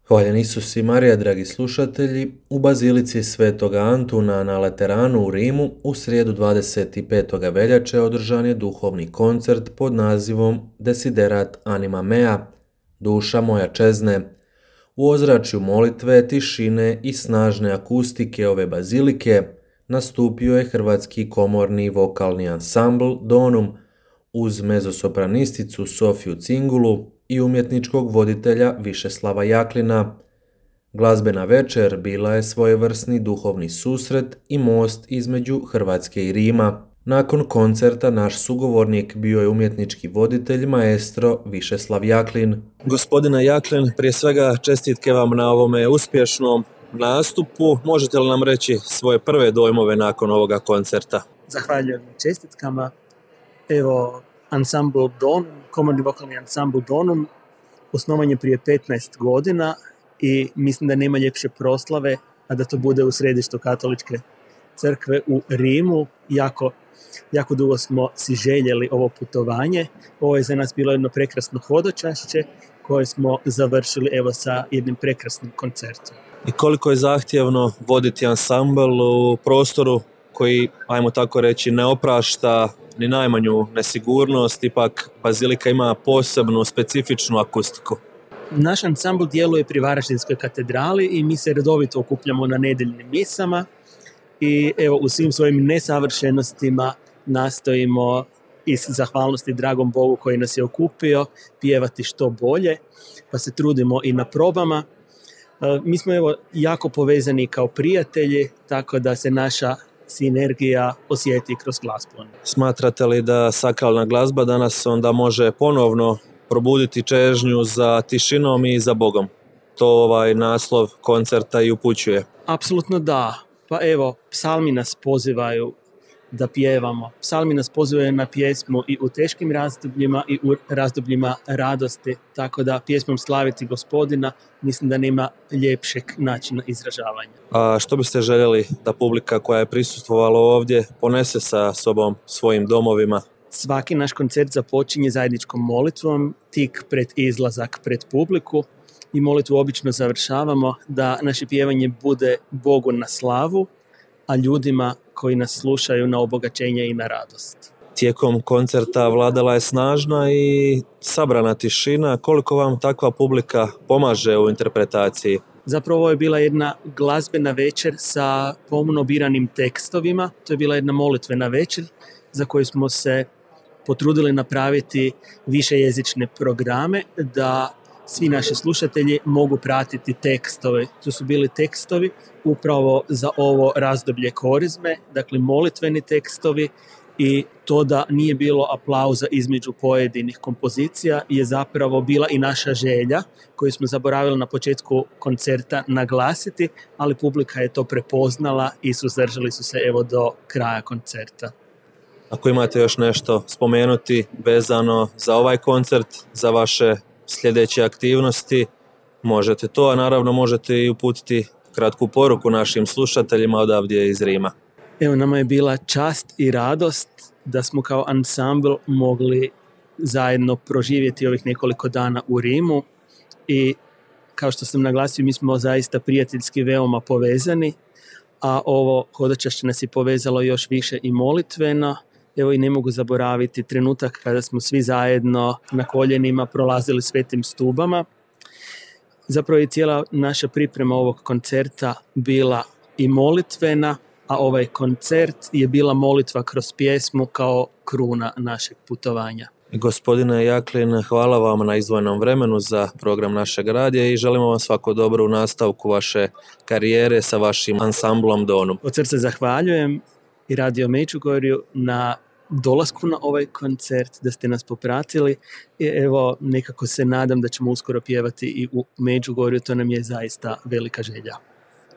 Hvaljen Isus i Marija, dragi slušatelji, u Bazilici Svetoga Antuna na Lateranu u Rimu u srijedu 25. veljače održan je duhovni koncert pod nazivom Desiderat Anima Mea, Duša moja čezne. U ozračju molitve, tišine i snažne akustike ove bazilike nastupio je hrvatski komorni vokalni ansambl Donum uz mezosopranisticu Sofiju Cingulu i umjetničkog voditelja Višeslava Jaklina. Glazbena večer bila je svojevrsni duhovni susret i most između Hrvatske i Rima. Nakon koncerta naš sugovornik bio je umjetnički voditelj maestro Višeslav Jaklin. Gospodine Jaklin, prije svega čestitke vam na ovome uspješnom nastupu. Možete li nam reći svoje prve dojmove nakon ovoga koncerta? Zahvaljujem na čestitkama. Evo, ansambl Donum, komorni vokalni ansambl Donum, osnovan je prije 15 godina i mislim da nema ljepše proslave, a da to bude u središtu katoličke crkve u Rimu. Jako dugo smo si željeli ovo putovanje. Ovo je za nas bilo jedno prekrasno hodočašće koje smo završili evo sa jednim prekrasnim koncertom. I koliko je zahtjevno voditi ansambl u prostoru koji, ajmo tako reći, ne oprašta ni najmanju nesigurnost, ipak bazilika ima posebnu, specifičnu akustiku. Naš ansambl djeluje pri Varaždinskoj katedrali i mi se redovito okupljamo na nedjeljnim misama i evo u svim svojim nesavršenostima nastojimo iz zahvalnosti dragom Bogu koji nas je okupio pjevati što bolje, pa se trudimo i na probama. Mi smo evo jako povezani kao prijatelji, tako da se naša sinergija osjeti kroz glazbu. Smatrate li da sakralna glazba danas onda može ponovno probuditi čežnju za tišinom i za Bogom? To ovaj naslov koncerta i upućuje. Apsolutno da. Pa evo, psalmi nas pozivaju da pjevamo. Psalmi nas pozivaju na pjesmu i u teškim razdobljima i u razdobljima radosti, tako da pjesmom slaviti Gospodina mislim da nema ljepšeg načina izražavanja. A što biste željeli da publika koja je prisustvovala ovdje ponese sa sobom svojim domovima? Svaki naš koncert započinje zajedničkom molitvom tik pred izlazak pred publiku i molitvu obično završavamo da naše pjevanje bude Bogu na slavu, a ljudima koji nas slušaju na obogaćenje i na radost. Tijekom koncerta vladala je snažna i sabrana tišina. Koliko vam takva publika pomaže u interpretaciji? Zapravo ovo je bila jedna glazbena večer sa pomno biranim tekstovima. To je bila jedna molitvena večer za koju smo se potrudili napraviti višejezične programe da svi naši slušatelji mogu pratiti tekstove. To su bili tekstovi upravo za ovo razdoblje korizme, dakle molitveni tekstovi, i to da nije bilo aplauza između pojedinih kompozicija je zapravo bila i naša želja koju smo zaboravili na početku koncerta naglasiti, ali publika je to prepoznala i suzdržali su se evo do kraja koncerta. Ako imate još nešto spomenuti vezano za ovaj koncert, za vaše sljedeće aktivnosti, možete to, a naravno možete i uputiti kratku poruku našim slušateljima odavdje iz Rima. Evo, nama je bila čast i radost da smo kao ansambl mogli zajedno proživjeti ovih nekoliko dana u Rimu i kao što sam naglasio, mi smo zaista prijateljski veoma povezani, a ovo hodočašće nas je povezalo još više i molitveno. Evo i ne mogu zaboraviti trenutak kada smo svi zajedno na koljenima prolazili svetim stubama. Zapravo je cijela naša priprema ovog koncerta bila i molitvena, a ovaj koncert je bila molitva kroz pjesmu kao kruna našeg putovanja. Gospodine Jaklin, hvala vam na izdvojenom vremenu za program našeg radija i želimo vam svako dobro u nastavku vaše karijere sa vašim ansamblom Donum. Od srca zahvaljujem i Radio Međugorju na dolasku na ovaj koncert, da ste nas popratili i evo nekako se nadam da ćemo uskoro pjevati i u Međugorju, to nam je zaista velika želja.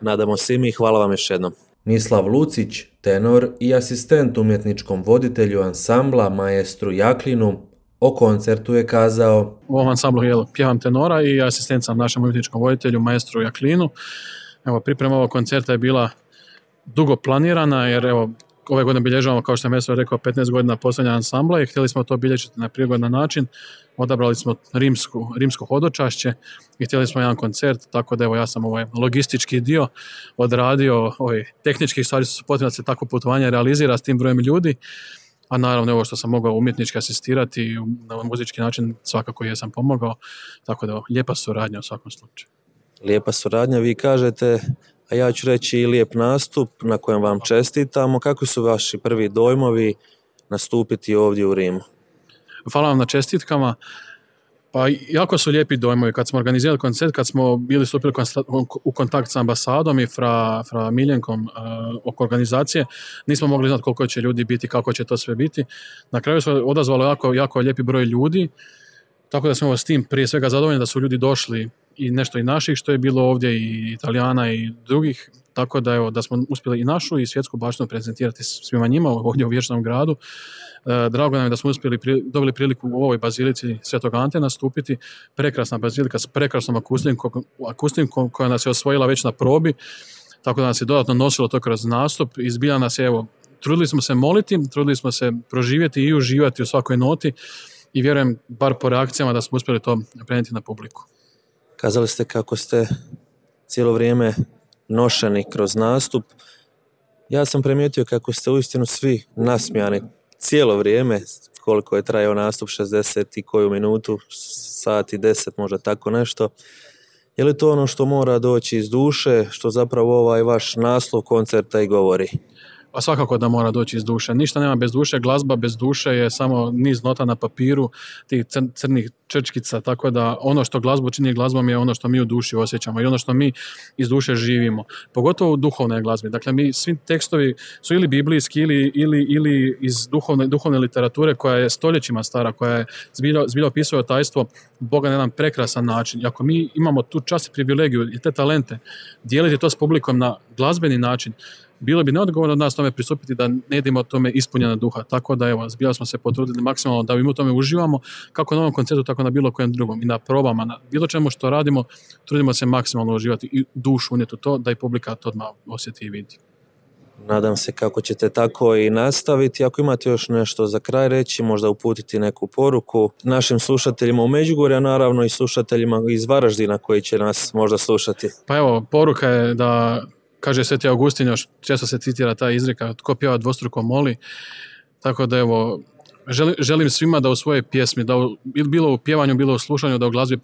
Nadamo se i mi, hvala vam još jednom. Mislav Lucić, tenor i asistent umjetničkom voditelju ansambla maestru Jaklinu, o koncertu je kazao: U ovom ansamblu pjevam tenora i asistent sam našem umjetničkom voditelju maestru Jaklinu. Evo, priprema ovog koncerta je bila dugo planirana jer evo, ove godine bilježavamo, kao što sam Meso rekao, 15 godina postojanja ansambla i htjeli smo to bilježiti na prigodan način. Odabrali smo rimsko hodočašće i htjeli smo jedan koncert, tako da evo ja sam ovaj logistički dio odradio, tehničkih stvari su potrebno da se tako putovanje realizira s tim brojem ljudi, a naravno ovo što sam mogao umjetnički asistirati na muzički način svakako jesam pomogao, tako da lijepa suradnja u svakom slučaju. Lijepa suradnja, vi kažete, a ja ću reći i lijep nastup na kojem vam čestitamo. Kako su vaši prvi dojmovi nastupiti ovdje u Rimu? Hvala vam na čestitkama. Pa jako su lijepi dojmovi. Kad smo organizirali koncert, kad smo bili stupili u kontakt s ambasadom i fra Miljenkom oko organizacije, nismo mogli znati koliko će ljudi biti, kako će to sve biti. Na kraju se odazvalo jako lijepi broj ljudi, tako da smo s tim prije svega zadovoljni da su ljudi došli i nešto i naših što je bilo ovdje i Italijana i drugih, tako da evo da smo uspjeli i našu i svjetsku baštinu prezentirati svima njima ovdje u Vječnom gradu. Drago nam je da smo dobili priliku u ovoj bazilici Svetog Ante nastupiti. Prekrasna bazilika s prekrasnom akustikom koja nas je osvojila već na probi, tako da nas je dodatno nosilo to kroz nastup. Izbila nas je, evo, trudili smo se moliti, trudili smo se proživjeti i uživati u svakoj noti i vjerujem, bar po reakcijama, da smo uspjeli to prenijeti na publiku. Kazali ste kako ste cijelo vrijeme nošeni kroz nastup. Ja sam primijetio kako ste uistinu svi nasmijani cijelo vrijeme, koliko je trajao nastup, 60 i koju minutu, sat i 10, možda tako nešto. Je li to ono što mora doći iz duše, što zapravo ovaj vaš naslov koncerta i govori? Pa svakako da mora doći iz duše. Ništa nema bez duše, glazba bez duše je samo niz nota na papiru, tih crnih črčkica, tako da ono što glazbu čini glazbom je ono što mi u duši osjećamo i ono što mi iz duše živimo. Pogotovo u duhovnoj glazbi. Dakle, mi svi tekstovi su ili biblijski ili iz duhovne literature koja je stoljećima stara, koja je zbilja opisuje tajstvo Boga na jedan prekrasan način. I ako mi imamo tu čast i privilegiju i te talente, dijeliti to s publikom na glazbeni način, bilo bi neodgovorno od nas tome pristupiti da ne idemo tome ispunjena duha. Tako da evo, zbilja smo se potrudili maksimalno da mi u tome uživamo, kako na ovom koncertu, tako na bilo kojem drugom. I na probama, na bilo čemu što radimo, trudimo se maksimalno uživati i dušu unijeti u to, da i publika to odmah osjeti i vidi. Nadam se kako ćete tako i nastaviti. Ako imate još nešto za kraj reći, možda uputiti neku poruku našim slušateljima u Međugorju, a naravno i slušateljima iz Varaždina koji će nas možda slušati. Pa evo, poruka je da, kaže Sveti Augustin, još često se citira ta izreka, tko pjeva dvostruko moli, tako da evo, želim svima da u svojoj pjesmi, da bilo u pjevanju, bilo u slušanju, da u glazbi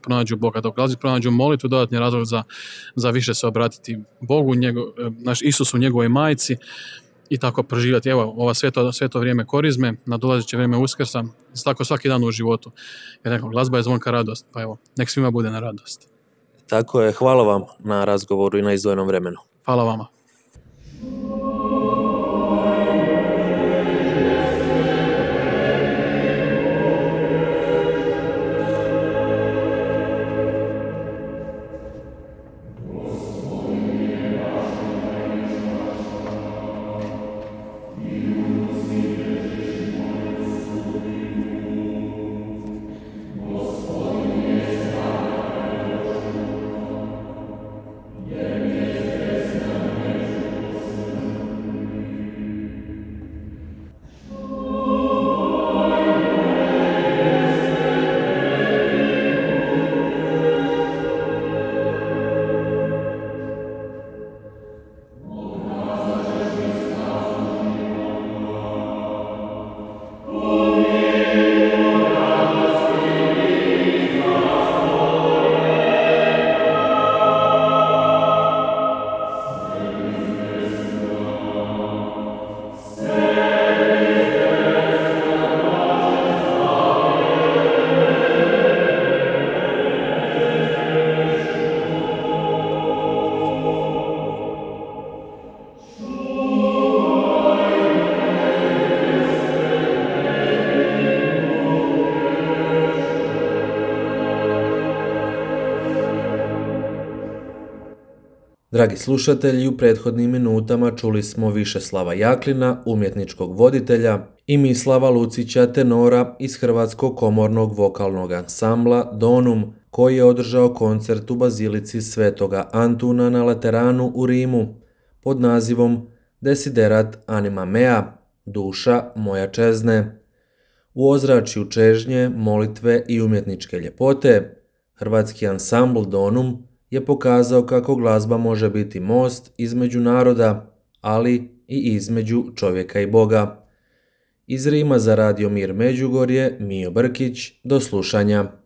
pronađu Boga, da u glazbi pronađu molitvu, dodatni razlog za više se obratiti Bogu, naš Isusu, njegovoj majci i tako proživjeti. Evo, ova sveto vrijeme korizme, nadolazeće vrijeme Uskrsa, tako svaki dan u životu. Jer neko, glazba je zvonka radost, pa evo, nek svima bude na radost. Tako je, hvala vam na razgovoru i na izdvojenom vremenu. Hvala vama. Dragi slušatelji, u prethodnim minutama čuli smo Višeslava Jaklina, umjetničkog voditelja, i Mislava Lucića, tenora iz Hrvatskog komornog vokalnog ansambla Donum, koji je održao koncert u bazilici Svetoga Antuna na Lateranu u Rimu pod nazivom desiderat anima mea, duša moja čezne. U ozračju čežnje, molitve i umjetničke ljepote, hrvatski ansambl Donum je pokazao kako glazba može biti most između naroda, ali i između čovjeka i Boga. Iz Rima za Radio Mir Međugorje, Mijo Brkić, do slušanja.